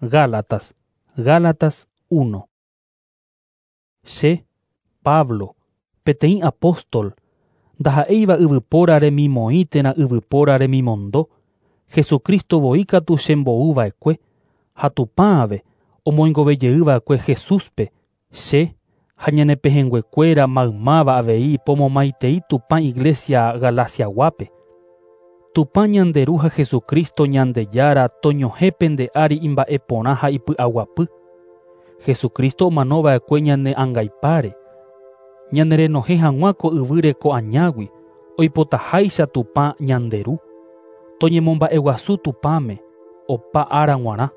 Gálatas, Gálatas 1. Che, Pablo, peteĩ apóstol, ndaha'éiva yvypóra remimoĩ térã yvypóra remimondo, Jesucristo voi katu chembouva'ekue, ha Tupã ave omoingovejeyva'ekue Jesúspe, che ha ñane pehẽnguekuéra maymáva avei pomomaitei Tupã Iglesia Galaciaguápe. Tupã ñande Ru ha Jesucristo Ñandejára toñohẽ pende ári imba'eporã ha ipy'aguapy. Jesucristo omanova'ekue ñane angaipáre, ñanerenohẽ hag̃ua ko yvýre ko añágui, oipotaháicha Tupã ñande Ru. Toñemomba'eguasu Tupãme, opa ára g̃uarã.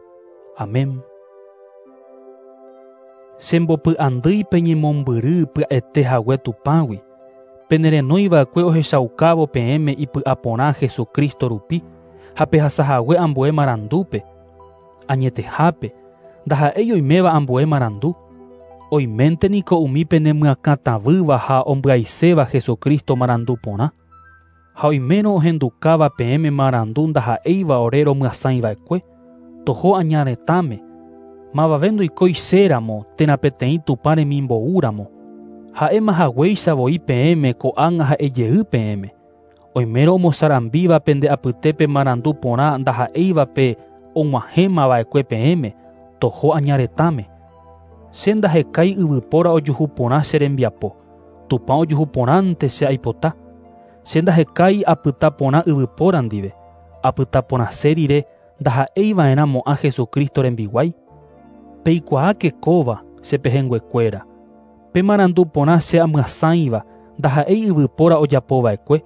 Amén. Chembopy'andýi peñemombyry pya'ete hague Tupãgui, penerenóiva'ekue ohechaukávo peẽme ipy'aporã Jesucristo rupi ha pehasahague ambue marandúpe. Añetehápe, ndaha'éi oiméva ambue marandu. Oiménte niko umi penemyakãtavýva ha ombyaiséva Jesucristo marandu porã. Ha oimérõ ohendukáva peẽme marandu ndaha'éiva ore romyasãiva'ekue, toho aña retãme, mavave ndoikói chéramo térã peteĩ Tupã remimboúramo. Ha'éma haguéicha voi peẽme ko'ág̃a ha'ejey peẽme. Oimérõ omosarambíva pende apytépe marandu porã ndaha'éiva pe og̃uahẽmava'ekue peẽme, toho aña retãme. Che ndahekái yvypóra ojuhu porã che rembiapo, Tupã ojuhu porãnte che aipota. Che ndahekái apyta porã yvypóra ndive, apyta porãse rire ndaha'eiva'erãmo'ã Jesucristo rembiguái. Peikuaáke kóva che pehẽnguekuéra. Pe marandu porã che amyasãiva ndaha'éi yvypóra ojapova'ekue.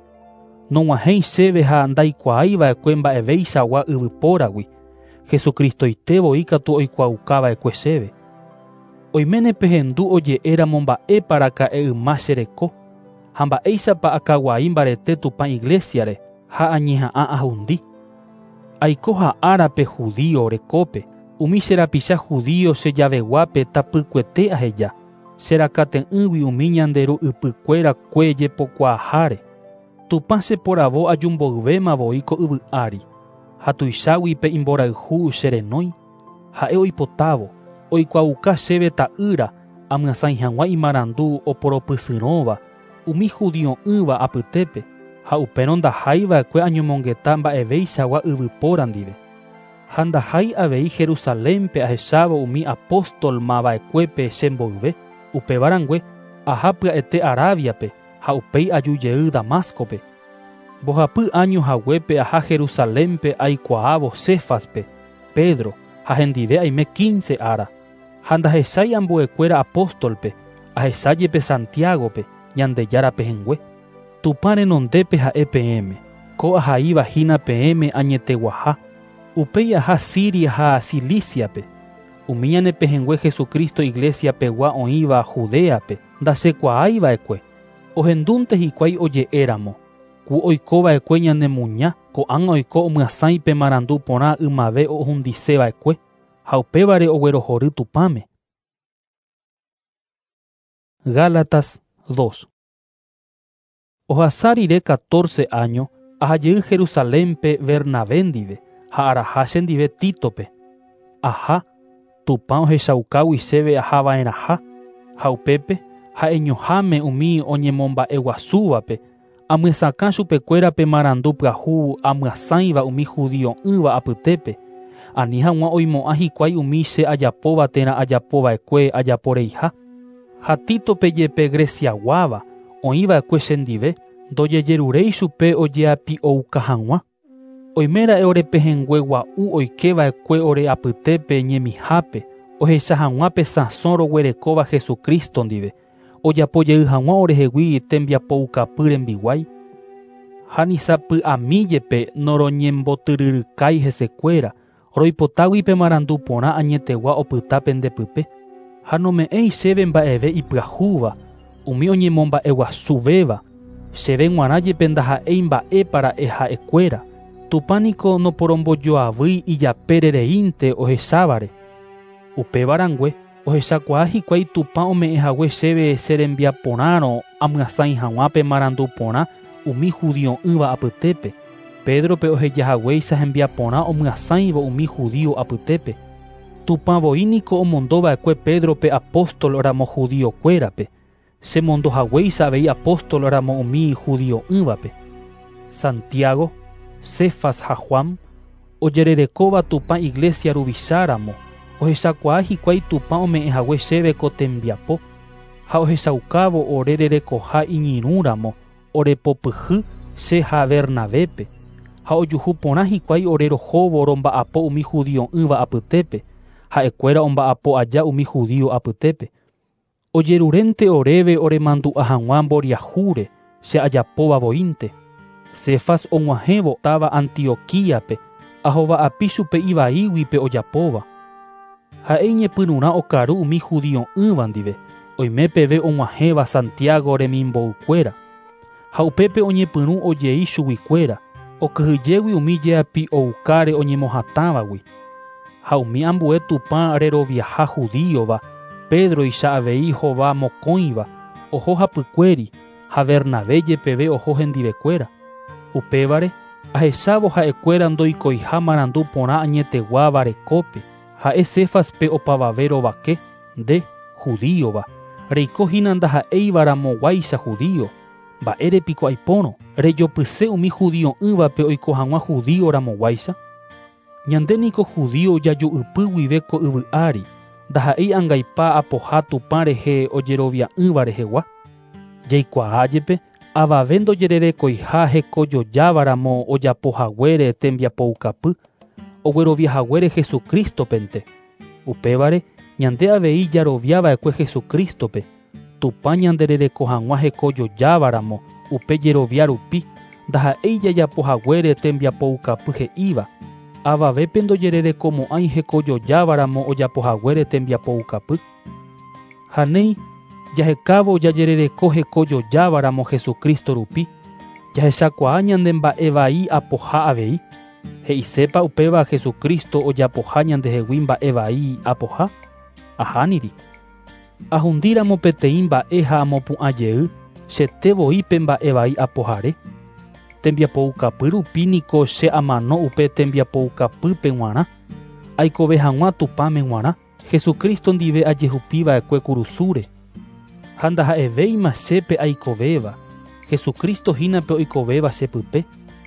Nog̃uahẽi chéve ha ndaikuaáiva'ekue mba'eveichagua yvypóragui, Jesucristoite voi katu oikuaaukava'ekue chéve. Oiméne pehendu oje'éramo mba'épa raka'e yma che reko, ha mba'éichapa akaguai mbarete Tupã Iglesiare ha añeha'ã ahundi. Aiko ha'árape judío rekópe, umi che rapicha judío che javeguápe tapykuete aheja, che rakate'ỹgui umi ñande ru ypykuérakue jepokuaaháre. Tupã cheporavo ajumboyvéma voi ko yvy ári, ha tuichágui pe imborayhu che renói. Ha'e oipotávo, oikuaauka chéve ta'ýra amyasãi hag̃ua imarandu oporopysyrõva umi judio'ỹva apytépe, ha upérõ ndaháiva'ekue añomongeta mba'eveichagua yvypóra ndive. Ha ndahái avei Jerusalénpe ahechávo umi apóstolmava'ekuépe chemboyve, upéva rangue aha pya'ete Arabiape ha upéi ajujey Damáscope. Mbohapy áño haguépe aha Jerusalénpe aikuaávo Céfaspe, Pedro, ha hendive aime 15 ára. Ha ndahechái ambuekuéra apóstolpe, ahechájepe Santiagope, Ñandejára pehẽngue. Tupã renondépe ha'e peẽme, ko ahaivahína peẽme añeteguaha. Upéi aha Siria ha Ciliciape. Umi ñane pehẽngue Jesucristo Iglesia pegua oĩva Judeape, ndachekuaáiva'ekue. Ohendúnte hikuái oje'éramo, ku oikova'ekue ñanemuña, ko'ág̃a oiko omyasãi pe marandu porã ymave ohundiseva'ekue, ha upévare oguerohory Tupãme. Gálatas 2. Ohasa rire 14 año, ahajey Jerusalénpe Bernabé ndive ha araha chendive Títope. Aha, Tupã ohechaukágui chéve ahava'erãha, ha upépe ha'eñoháme umi oñemomba'eguasúvape, amyesakã chupekuéra pe marandu pyahu amyasãiva umi judio'ỹva apytépe, ani hag̃ua oimo'ã hikuái umi che ajapóva térã ajapova'ekue ajaporeiha. Ha Títope jepe Greciaguáva oĩva'ekue chendive, ndojejeruréi chupe ojeapi'ouka hag̃ua. Oiméra'e orepehẽngue gua'u oikeva'ekue ore apytépe ñemihápe, ohecha hag̃ua pe sãso roguerekóva Jesucristo ndive, ojapojey hag̃ua orehegui tembiapoukapy rembiguái. Ha nisapy'ami jepe noroñembotyryrykái hesekuéra, roipotágui pe marandu porã añetegua opyta pendepype. Ha nome'ẽi chéve mba'eve ipyahúva, umi oñemomba'eguasuvéva, chéve g̃uarã jepe ndaha'éi mba'épa ra'e ha'ekuéra. Tupã niko noporombojoavýi ijapére reínte ohechávare. Upéva rangue, ohechakuaa hikuái Tupã ome'ẽhague chéve che rembiaporãrõ amyasãi hag̃ua pe marandu porã umi judio'ỹva apytépe. Pedrope ohejahaguéicha hembiaporã omyasãivo umi judío apytépe. Tupã voi niko omondo va'ekue Pédrope apóstol ramo judíokuérape, che mondo haguéicha avei apóstol ramo umi judio'ỹvape. Santiago, Cefas ha Juan, ojererekóva Tupã iglesia ruvicha ramo, ohechakuaa hikuái Tupã ome'ẽ hague chéve ko tembiapo, ha ohechaukávo ore rerekoha iñirũ ramo orepopyhy che ha Bernabépe, ha ojuhu porã hikuái ore rohóvo romba'apo umi judio'ỹva apytépe, ha'ekuéra omba'apo aja umi judío apytépe. Ojerurénte oréve oremandu'a hag̃ua mboriahúre che ajapóva voínte. Cefas og̃uahẽvo táva Antioquíape, ahova'api chupe ivaígui pe ojapóva. Ha'e iñepyrũrã okaru umi judio'ỹva ndive, oime peve og̃uahẽva Santiago remimboukuéra. Ha upépe oñepyrũ ojei chuguikuéra, okyhyjégui umi jeapi'oukáre oñemohatãvagui. Ha umi ambue Tupã reroviaha judíova, Pédroicha avei hova mokõiva, oho hapykuéri, ha Bernabé jepeve oho hendivekuéra. Upévare, ahechávo ha'ekuéra ndoikoiha marandu porã añeteguáva rekópe, ha'e Céfaspe opavave rovake, nde, judíova, reiko hína ndaha'éiva ramoguáicha judío, mba'ére piko aipórõ, rejopyse umi judio'ỹvape oiko hag̃ua judío ramoguáicha? Ñande niko judío jaju'ypy guive ko yvy ári, ndaha'éi angaipa apoha Tupã rehe ojerovia'ỹva rehegua. Jaikuaa jepe, avave ndojererekoiha hekojojávaramo ojapo haguére tembiapoukapy, oguerovia haguére Jesucrístopente. Upévare, ñande avei jaroviava'ekue Jesucrístope, Tupã ñanderereko hag̃ua hekojojávaramo upe jerovia rupi, ndaha'éi jajapo haguére tembiapoukapy he'íva, avavépe ndojererekomo'ãi hekojojávaramo ojapo haguére tembiapoukapy. Ha néi, jahekávo jajerereko hekojojávaramo Jesucristo rupi, jahechakuaa ñande mba'e vai apoha avei. He'isépa upéva Jesucristo ojapoha ñandehegui mba'e vai apoha? Ahániri. Ahundíramo peteĩ mba'e ha amopu'ã jey, chete voi pe mba'e vai apohare. Tembiapoukapy rupi niko che amano upe tembiapoukapýpe g̃uarã, aikove hag̃ua Tupãme g̃uarã, Jesucristo ndive ajehupiva'ekue kurusúre. Ha ndaha'evéima chépe aikovéva, Jesucristo hína pe oikovéva chepype,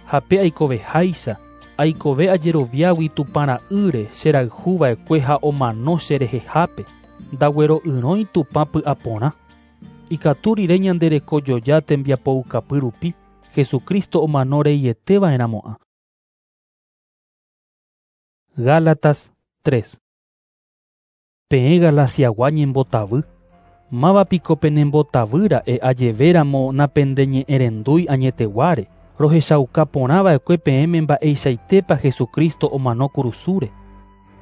ha pe aikoveháicha, aikove ajeroviágui Tupã ra'ýre cherayhuva'ekue ha omano cherehehápe, ndaguero'yrõi Tupã py'aporã. Ikatu rire ñande rekojoja tembiapoukapy rupi, Jesucristo omano reieteva'erãmo'ã. Gálatas 3. Peẽ Galaciagua ñembotavy, máva piko penembotavýra'e ajevéramo napendeñe'ẽrendúi añeteguáre, rohechauka porãva'ekue peẽme mba'eichaitépa Jesucristo omano kurusúre.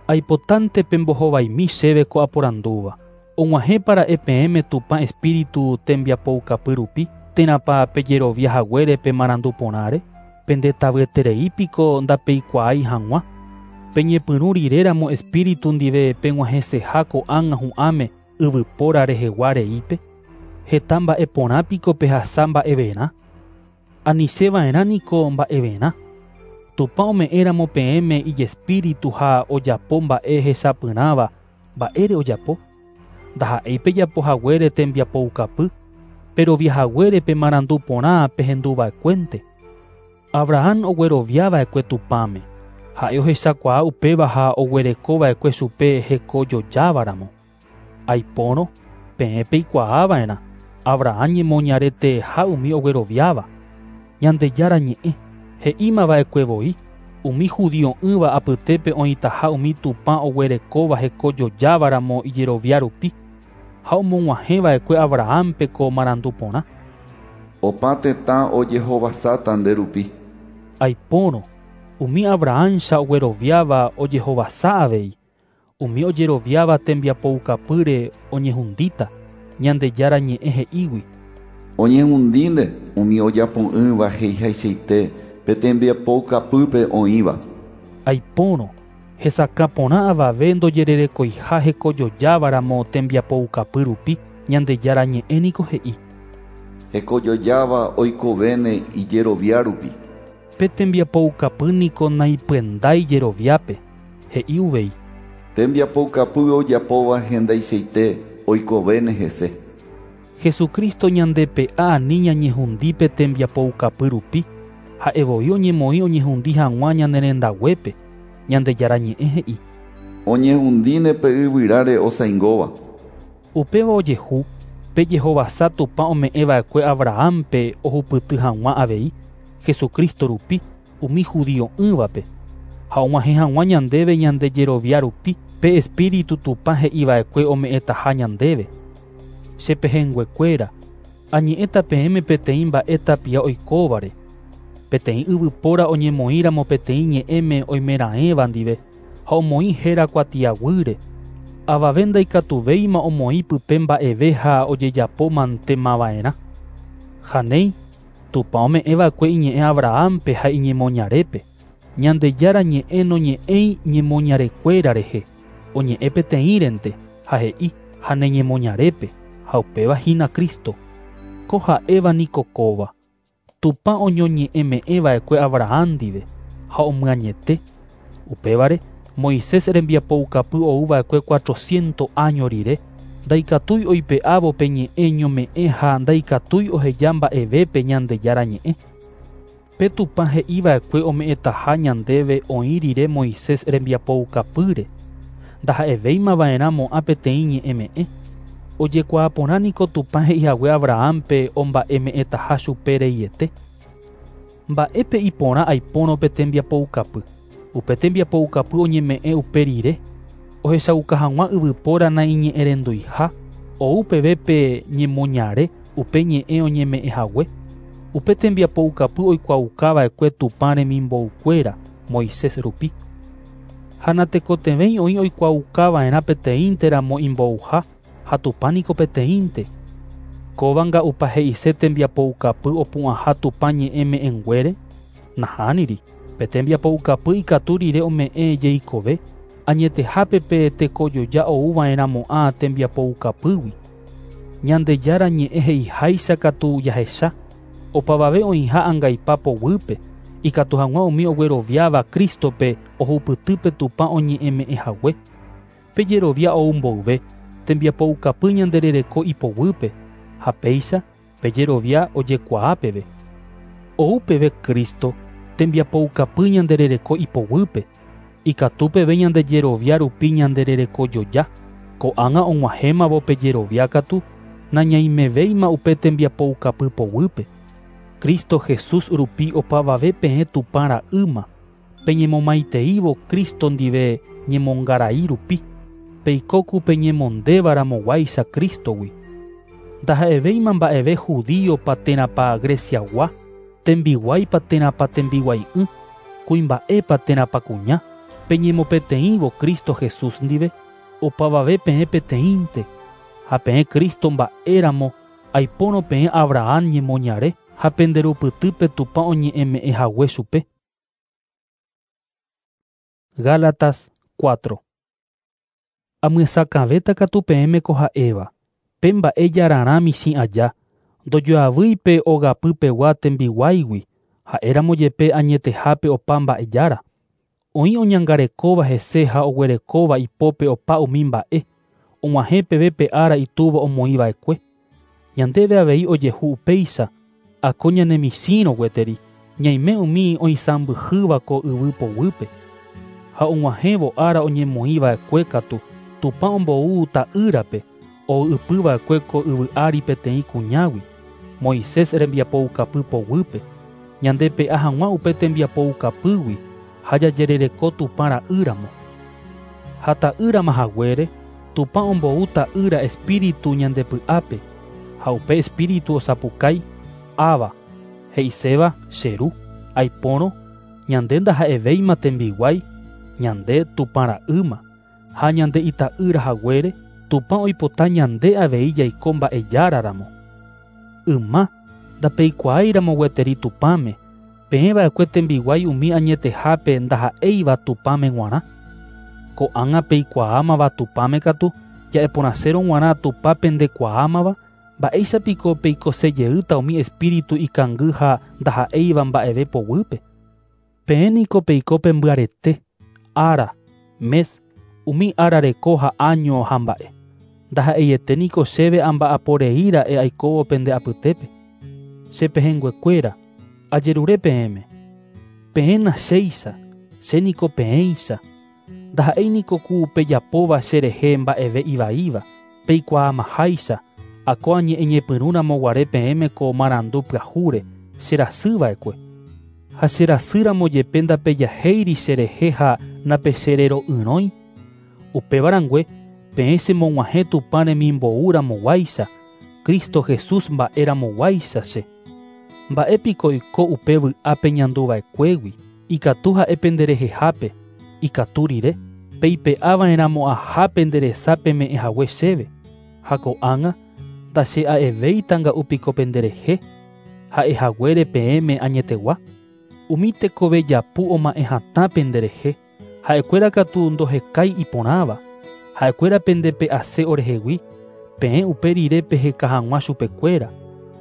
Aipotánte pembohovaimi chéve ko aporandúva. Og̃uahẽpara'e peẽme Tupã Espíritu tembiapoukapy rupi, térãpa pejerovia haguére pe marandu porãre, pendetavyeterei piko ndapeikuaái hag̃ua. Peñepyrũ riréramo Espíritu ndive peg̃uahẽseha ko'ág̃a hu'ãme yvypóra rehegua reípe, heta mba'e porã piko pehasa mba'everã. Anicheva'erã niko mba'everã. Tupã ome'ẽramo peẽme ijespíritu ha ojapo mba'e hechapyrãva, mba'ére ojapo. Ndaha'éi pejapo haguére tembiapoukapy, perovia haguére pe marandu porã pehenduva'ekuénte. Abraham ogueroviava'ekue Tupãme, ha'e ohechakuaa upéva ha oguerekova'ekue chupe hekojojávaramo. Aipórõ, peẽ peikuaava'erã, Abraham ñemoñareteha umi ogueroviáva. Ñandejára ñe'ẽ, he'ímava'ekue voi, umi judio'ỹva apytépe oĩtaha umi Tupã oguerekóva hekojojávaramo ijerovia rupi, ha omog̃uahẽva'ekue Abrahampe ko marandu porã. Opa tetã ojehovasáta nde rupi. Aipórõ, umi Abrahamcha ogueroviáva ojehovasa avei, umi ojeroviáva tembiapoukapýre oñehundíta, Ñandejára ñe'ẽ he'ígui. Oñehundínte umi ojapo'ỹva he'ihaichaite pe tembiapoukapýpe oĩva. Aipórõ, hesakã porã avave ndojererekoiha hekojojávaramo tembiapoukapy rupi, Ñandejára ñe'ẽ niko he'i. Hekojojáva oikovéne ijerovia rupi. Pe tembiapoukapy niko naipyendái jeroviápe, he'i uvei. Tembiapoukapy ojapóva hendaichaite oikovéne hese. Jesucristo ñandepe'a ani ñañehundi pe tembiapoukapy rupi, ha'evoi oñemoĩ oñehundi hag̃ua ñane rendaguépe, Ñandejára ñe'ẽ he'i. Oñehundíne pe yvyráre osãingóva. Upéva ojehu, pe jehovasa Tupã ome'ẽva'ekue Abrahámpe ohupyty hag̃ua avei, Jesucristo rupi, umi judio'ỹvape, ha og̃uahẽ hag̃ua ñandéve ñande jerovia rupi pe Espíritu Tupã he'iva'ekue ome'ẽtaha ñandéve. Che pehẽnguekuéra, añe'ẽta peẽme peteĩ mba'e tapia oikóvare. Peteĩ yvypóra oñemoĩramo peteĩ ñe'ẽme oimeraẽva ndive ha omoĩ héra kuatiaguýre, avave ndaikatuvéima omoĩ pype mba'eve ha ojejapo mantemava'erã. Ha néi, Tupã ome'ẽva'ekue iñe'ẽ Abrahámpe ha iñemoñarépe. Ñandejára ñe'ẽ noñe'ẽi ñemoñarekuéra rehe, oñe'ẽ peteĩrente, ha he'i ha ne ñemoñarépe, ha upéva hína Cristo. Ko ha'éva niko kóva. Tupã oñoñe'ẽme'ẽva'ekue Abraham ndive ha omyañete. Upévare, Moisés rembiapoukapy ouva'ekue 400 áño rire, ndaikatúi oipe'ávo pe ñe'ẽ ñome'ẽ ha ndaikatúi oheja mba'evépe Ñandejára ñe'ẽ. Pe Tupã he'iva'ekue ome'ẽtaha ñandéve oĩ rire Moisés rembiapoukapýre, ndaha'evéimava'erãmo'ã peteĩ ñe'ẽme'ẽ. Ojekuaa porã niko Tupã he'ihague Abrahámpe omba'eme'ẽtaha chupe reiete. Mba'épe iporã aipórõ pe tembiapoukapy. Upe tembiapoukapy oñeme'ẽ upe rire, ohechauka hag̃ua yvypóra naiñe'ẽrenduiha, ou peve pe ñemoñare upe ñe'ẽ oñeme'ẽhague. Upe tembiapoukapy oikuaaukava'ekue Tupã remimboukuéra Moisés rupi. Ha natekotevẽi oĩ oikuaaukava'erã peteĩnteramo imbouha ha Tupã niko peteĩnte. Kóva nga'upa he'ise tembiapoukapy opu'ãha Tupã ñe'ẽme'ẽnguére? Nahániri. Pe tembiapoukapy ikatu rire ome'ẽ jeikove, añetehápe pe tekojoja ouva'erãmo'ã tembiapoukapýgui. Ñandejára ñe'ẽ he'iháicha katu jahecha, opavave oĩha angaipa poguýpe, ikatu hag̃ua umi ogueroviáva Crístope ohupytýpe Tupã oñe'ẽme'ẽhague. Pe jerovia ou mboyve, tembiapoukapy ñanderereko ipoguýpe, ha péicha pe jerovia ojekuaa peve. Ou peve Cristo, tembiapoukapy ñanderereko ipoguýpe, ikatu peve ñande jerovia rupi ñandererekojoja. Ko'ág̃a og̃uahẽmavo pe jerovia katu, nañaimevéima upe tembiapoukapy poguýpe. Cristo Jesús rupi opavave peẽ Tupã ra'ýma, peñemomaiteívo Cristo ndive ñemongarai rupi, peikóku peñemondévaramoguáicha Cristogui. Ndaha'evéima mba'eve judíopa térãpa Greciagua, tembiguáipa térãpa tembiguai'ỹ, kuimba'épa térãpa kuña, peñemopeteĩvo Cristo Jesús ndive, opavave peẽ peteĩnte, ha peẽ Cristo mba'éramo aipórõ peẽ Abraham ñemoñare ha penderupytýpe Tupã oñe'ẽme'ẽhague chupe. Gálatas 4. Amyesakãvéta katu peẽme ko ha'éva, pe mba'e jararã michĩ aja, ndojoavýi pe ogapypegua tembiguáigui, ha'éramo jepe añetehápe opa mba'ejára. Oĩ oñangarekóva hese ha oguerekóva ipópe opa umi mba'e, og̃uahẽ peve pe ára itúva omoĩva'ekue. Ñandéve avei ojehu upéicha, ako ñanemichĩrõ gueteri, ñaime umi oisãmbyhýva ko yvy poguýpe. Ha og̃uahẽvo ára oñemoĩva'ekue katu, Tupã ombou ta'ýrape, oy'ypyva'ekue ko yvy ári peteĩ kuñágui, Moisés rembiapoukapy poguýpe, ñandepe'a hag̃ua upe tembiapoukapýgui ha jajerereko Tupã ra'ýramo. Ha ta'ýrama haguére, Tupã ombou ta'ýra espíritu ñandepy'ápe, ha upe espíritu osapukái, Aba, he'iséva che ru, aipórõ, ñande ndaha'evéima tembiguái, ñande Tupã ra'ýma, ha ñande ita'ýra haguére, Tupã oipota ñande avei jaiko mba'ejáraramo. Yma, ndapeikuaáiramo gueteri Tupãme, peẽva'ekue tembiguái umi añetehápe ndaha'éiva Tupãme g̃uarã. Ko'ág̃a peikuaámava Tupãme katu, ja'eporãsérõ g̃uarã Tupã pendekuaámava, mba'éichapiko peikosejeýta umi espíritu ikangy ha ndaha'éiva mba'eve poguýpe. Peẽ niko peiko pembyarete, ára, mes, Umi ára reko ha áño ha mba'e. Ndaha'eiete niko chéve amba'aporei ra'e aikóvo pende apytépe. Che pehẽnguekuéra, ajerure peẽme. Peẽna chéicha, che niko peẽicha. Ndaha'éi niko ku pejapóva cherehe mba'eve ivaíva, peikuaamaháicha, ako añe'ẽñepyrũramo guare peẽme ko marandu pyahúre, cherasýva'ekue. Ha cherasýramo jepe ndapejahéiri cherehe ha napecherero'yrõi. Upéva rangue, peẽ chemog̃uahẽ Tupã remimboúramoguáicha, Cristo Jesús mba'eramoguáicha che. Mba'épiko oiko upe vy'a peñanduva'ekuégui, ikatu ha'e penderehehápe, ikatu rire, peipe'ava'erãmo'ãha pende resa peme'ẽhague chéve. Ha ko'ág̃a ndache'a'evéitanga'u piko penderehe, ha'ehaguére peẽme añetegua. Umi tekove japu oma'ẽ hatã penderehe, ha'ekuéra katu ndohekái iporãva, ha'ekuéra pendepe'ase orehegui, peẽ upe rire peheka hag̃ua chupekuéra.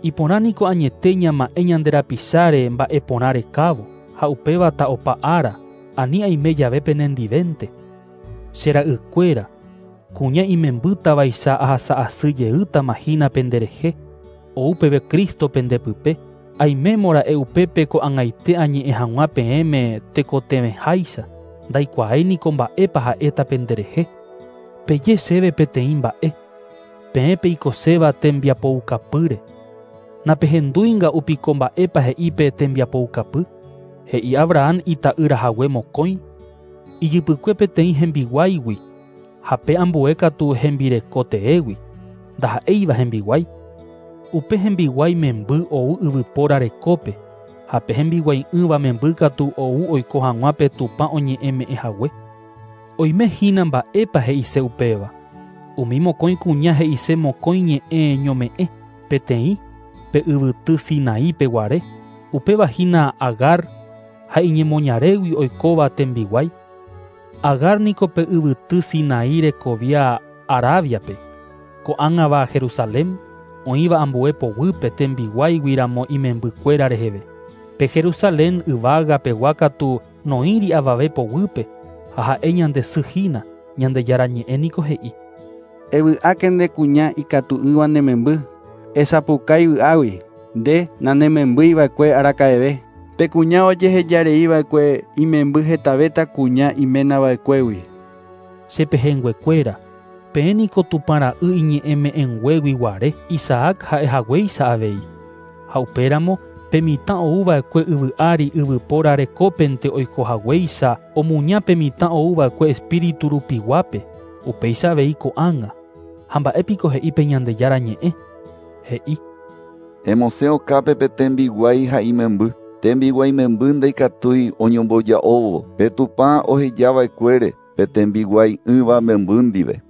Iporã niko añete ñama'ẽ ñande rapicháre mba'eporã rekávo, ha upévata opa ára, ani aime jave penendivénte. Che ra'ykuéra, kuña imembýtavaicha ahasa'asy jeýtama hína penderehe, ou peve Cristo pendepype, aimémora'e upépe ko'ag̃aite añe'ẽ hag̃ua peẽme tekotevẽháicha, ndaikuaái niko mba'épa ha'éta penderehe. Peje chéve peteĩ mba'e, peẽ peikoséva tembiapoukapýre. Napehendúinga'u piko mba'épa he'i pe tembiapoukapy? He'i Abraham ita'ýrahague mokõi, ijypykue peteĩ hembiguáigui, ha pe ambue katu hembireko teégui, ndaha'éiva hembiguái. Upe hembiguái memby ou yvypóra rekópe, ha pe hembiguai'ỹva memby katu ou oiko hag̃ua pe Tupã oñe'ẽme'ẽhague. Oime hína mba'épa he'ise upéva. Umi mokõi kuña he'ise mokõi ñe'ẽ ñome'ẽ, peteĩ, pe yvyty Sinaípe guare, upéva hína Agar ha iñemoñarégui oikóva tembiguái. Agar niko pe yvyty Sinaí rekovia Arabiape, ko'ág̃ava Jerusalén, oĩva ambue poguýpe tembiguáigui ramo imembykuéra reheve. Pe Jerusalén yvágapegua katu noĩri avave poguýpe, ha ha'e ñande sy hína, Ñandejára ñe'ẽ niko he'i. Evy'áke nde kuña ikatu'ỹva ne memby, esapukái vy'águi, nde nanemembýiva'ekue araka'eve. Pe kuña ojehejareiva'ekue imemby hetavéta kuña iménava'ekuégui. Che pehẽnguekuéra, peẽ niko Tupã ra'y iñe'ẽme'ẽnguégui guare, Isaac ha'ehaguéicha avei. Ha upéramo, pe mitã ouva'ekue yvy ári yvypóra rekópente oikohaguéicha omuña pe mitã ouva'ekue espíritu rupiguápe, upéicha avei ko'ág̃a. Ha mba'épiko he'i pe Ñandejára ñe'ẽ? He'i. Emosẽ okápe pe tembiguái ha imemby. Tembiguái memby ndaikatúi oñomboja'óvo pe Tupã ohejava'ekuére pe tembiguai'ỹva memby ndive.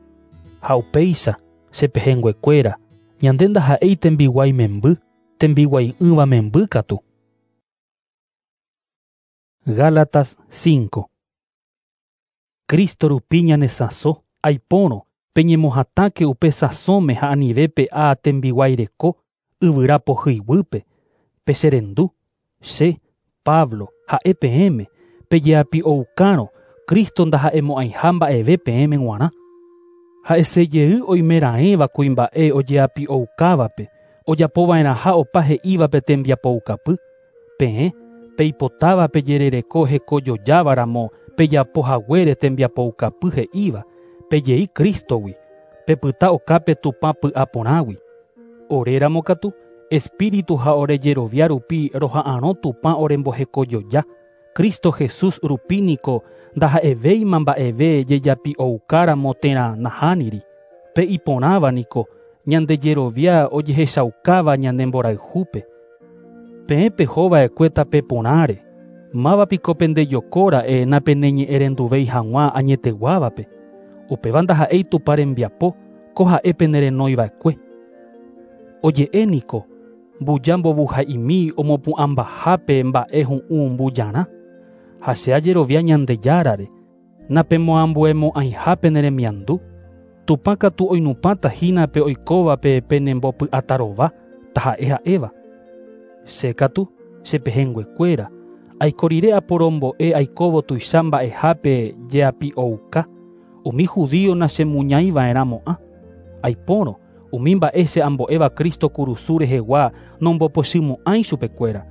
Ha upéicha, che pehẽnguekuéra, ñande ndaha'éi tembiguái memby, tembiguai'ỹva memby katu. Gálatas 5. Cristo rupi ñanesãso, aipórõ, peñemohatãke upe sãsóme ha anive pe'a tembiguái reko, yvyra pohýiguýpe, pecherendu, che, Pablo, ha'e peẽme, pejeapi'oukárõ, Cristo ndaha'emo'ãiha mba'eve peẽme g̃uarã. Ha'esejey oimeraẽva kuimba'e ojeapi'oukávape, ojapova'erãha opa he'íva pe tembiapoukapy, peẽ, peipotáva pejerereko hekojojávaramo pejapohaguére tembiapoukapy he'íva, pejei Cristogui, pepyta okápe Tupã py'aporãgui. Oréramo katu, Espíritu ha ore jerovia rupi roha'arõ Tupã orembohekojoja, Cristo Jesús rupi niko ndaha'evéima mba'eve jejapi'oukáramo térã nahániri. Pe iporãva niko, ñande jerovia ojehechaukáva ñane mborayhúpe. Peẽ pehova'ekue tape porãre, mávapiko pendejokóra'e napeneñe'ẽrenduvéi hag̃ua añeteguávape. Upéva ndaha'éi Tupã rembiapo, ko ha'e penerenoiva'ekue. Oje'e niko, mbuja mbovuha'imi omopu'ãmbahápe mba'e hu'ũ mbujarã, ha che ajerovia Ñandejárare, napemoambuemo'ãiha pene remiandu. Tupã katu oinupãta hína pe oikóvape penembopy'atarova, taha'e ha'éva. Che katu, che pehẽnguekuéra, aiko rire aporombo'e aikóvo tuicha mba'ehápe jeapi'ouka, umi judío nachemuñaiva'erãmo'ã. Aipórõ, umi mba'e che ambo'éva Cristo kurusu rehegua nombopochymo'ãi chupekuéra.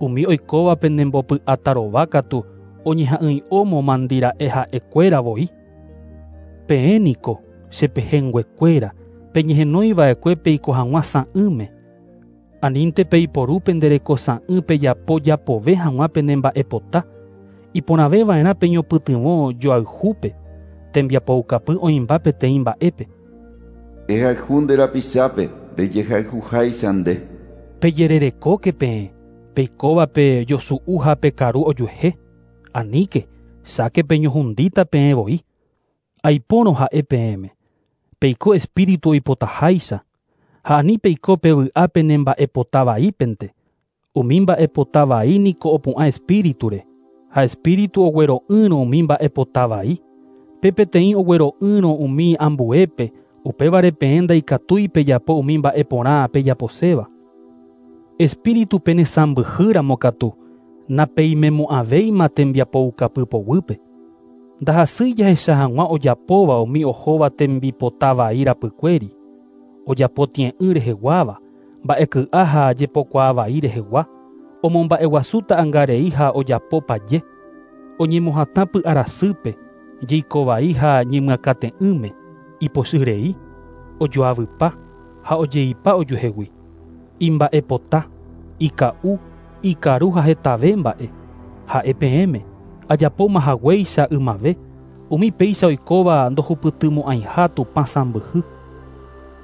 Umi oikóva penembopy'atarova katu oñeha'ỹi'ómo mandira'e ha'ekuéra voi. Peẽ niko, che pehẽnguekuéra, peñehenóiva'ekue peiko hag̃ua sa'ỹme. Anínte peiporu pende reko sa'ỹ pejapo japove hag̃ua pene mba'epota. Iporãveva'erã peñopytyvõ joayhúpe, tembiapoukapy oĩmba peteĩ mba'épe. Ehayhu nde rapichápe rejehayhuháicha nde. Pejererekóke peẽ, peikóva pejosu'u ha pekaru ojuehe. Aníke, cháke peñohundíta peẽ voi. Aipórõ ha'e peẽme, peiko espíritu oipotaháicha, ha ani peiko pevy'a pene mba'epota vaípente. Umi mba'epota vai niko opu'ã espíriture, ha espíritu oguero'ỹrõ umi mba'epota vai. Pe peteĩ oguero'ỹrõ umi ambuépe, upévare peẽ ndaikatúi pejapo umi mba'e porã pejaposéva. Espíritu penesãmbyhýramo katu, napeimemo'ãvéima tembiapoukapy poguýpe. Ndahasýi jahecha hag̃ua ojapóva umi ohóva tembipota vai rapykuéri, ojapo tie'ỹ reheguáva, mba'eky'a ha jepokuaa vai rehegua, omomba'eguasu ta'ãngarei ha ojapo paje, oñemohatã py'arasýpe, jeiko vai ha ñemyakate'ỹme, ipochyrei, ojoavypa ha ojeipa ojuehegui. Imba'epota, ika'u, ikaru ha hetave mba'e. Ha'e peẽme, ajapóma haguéicha ymave, umi péicha oikóva ndohupytymo'ãiha Tupã sãmbyhy.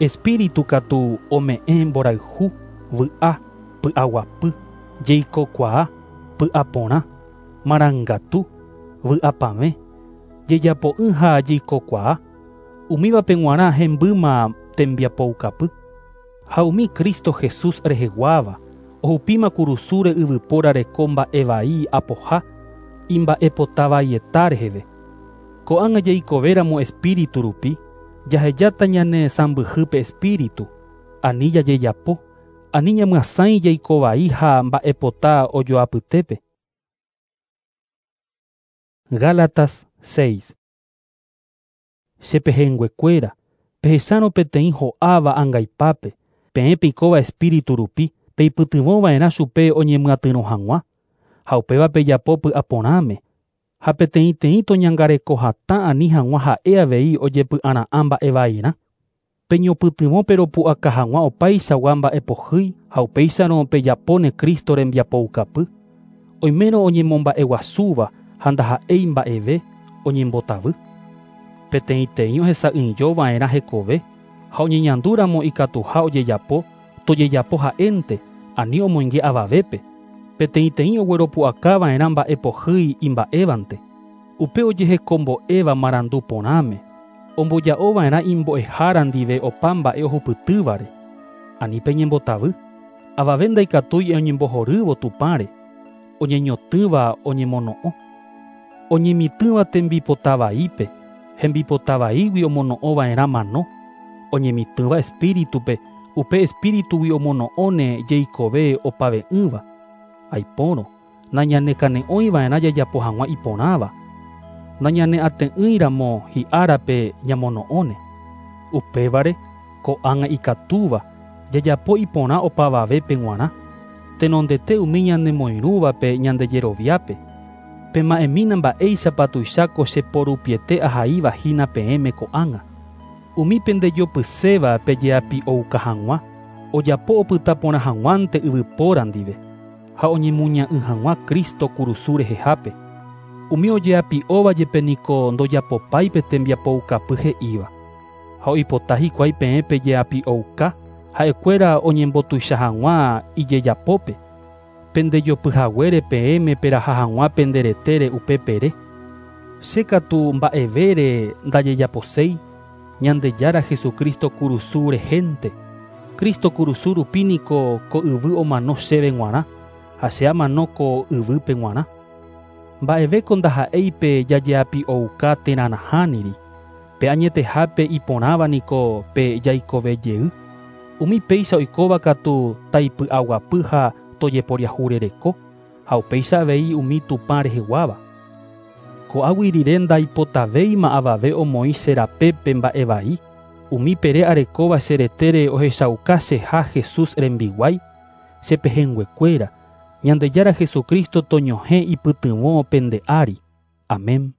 Espíritu katu ome'ẽ mborayhu, vy'a, py'aguapy, jeikokuaa, py'aporã, marangatu, vy'apavẽ, jejapo'ỹ ha jeikokuaa. Umívape g̃uarã hembýma tembiapoukapy. Ha umi Cristo Jesús reheguáva, ohupíma kurusúre yvypóra reko mba'e vai apoha, imba'epota vaieta reheve. Ko'ág̃a jaikovéramo espíritu rupi, jahejáta ñane sãmbyhýpe espíritu, ani jajejapo, ani ñamyasãi jaiko vai ha mba'epota ojoapytépe. Gálatas 6. Che pehẽnguekuéra, pehechárõ peteĩ ho'áva angaipápe, peẽ peikóva espíritu rupi, peipytyvõva'erã chupe oñemyatyrõ hag̃ua, ha upéva pejapo py'aporãme, ha peteĩteĩ toñangareko hatã ani hag̃ua ha'e avei ojepy'ara'ã mba'e vairã. Peñopytyvõ peropu'aka hag̃ua opaichagua mba'epohýi ha upéicharõ pejapóne Cristo rembiapoukapy. Oimérõ oñemomba'eguasúva ha ndaha'éi mba'eve oñembotavy. Peteĩteĩ ohesa'ỹijova'erã hekove ha oñeñandúramo ikatuha ojejapo, tojejapo ha'énte, ani omoinge avavépe. Peteĩteĩ ogueropu'akava'erã mba'epohýi imba'évante. Upe ojehekombo'éva marandu porãme, omboja'ova'erã imbo'ehára ndive opa mba'e ohupytývare. Ani peñembotavy, avave ndaikatúi oñembohorývo Tupãre, oñeñotỹva oñemono'õ. Oñemitỹva tembipota vaípe, hembipota vaígui omono'õva'erã mano, oñemitỹva espíritupe, upe espíritugui omono'õne jeikove opave'ỹva. Aipórõ, nañanekane'õiva'erã jajapo hag̃ua iporãva, nañaneate'ỹiramo hi'árape ñamono'õne. Upévare, ko'ág̃a ikatúva, jajapo iporã opavavépe g̃uarã, tenondete umi ñanemoirũvape ñandejeroviápe. Pema'ẽmína mba'éichapa tuicháko che porupiete ahaíva hína peẽme ko'ág̃a. Umi pendejopyséva pejeapi'ouka hag̃ua, ojapo opyta porã hag̃uánte yvypóra ndive, ha oñemuña'ỹ hag̃ua Cristo kurusu rehehápe. Umi ojeapi'óva jepe niko ndojapopái pe tembiapoukapy he'íva. Ha oipota hikuái peẽ pejeapi'ouka, ha'ekuéra oñembotuicha hag̃ua ijejapópe. Pendejopyhaguére peẽme peraha hag̃ua pende retére upe pere. Che katu mba'evére ndajejaposéi, Ñandejára Jesucristo kurusu rehénte. Cristo kurusu rupi niko ko yvy omano chéve g̃uarã, ha che amano ko yvýpe g̃uarã. Mba'evéko ndaha'éi pe jajeapi'ouka térã nahániri, pe añetehápe iporãva niko pe jaikove jey. Umi péicha oikóva katu taipy'aguapy ha tojeporiahurereko, ha upéicha avei umi Tupã reheguáva. Ko'águi rire ndaipotavéima avave omoĩ che rapépe mba'e vai. Umi pere arekóva che retére ohechauka cheha Jesús rembiguái, che pehẽnguekuéra. Ñandejára Jesucristo toñohẽ ipytyvõ pende ári. Amén.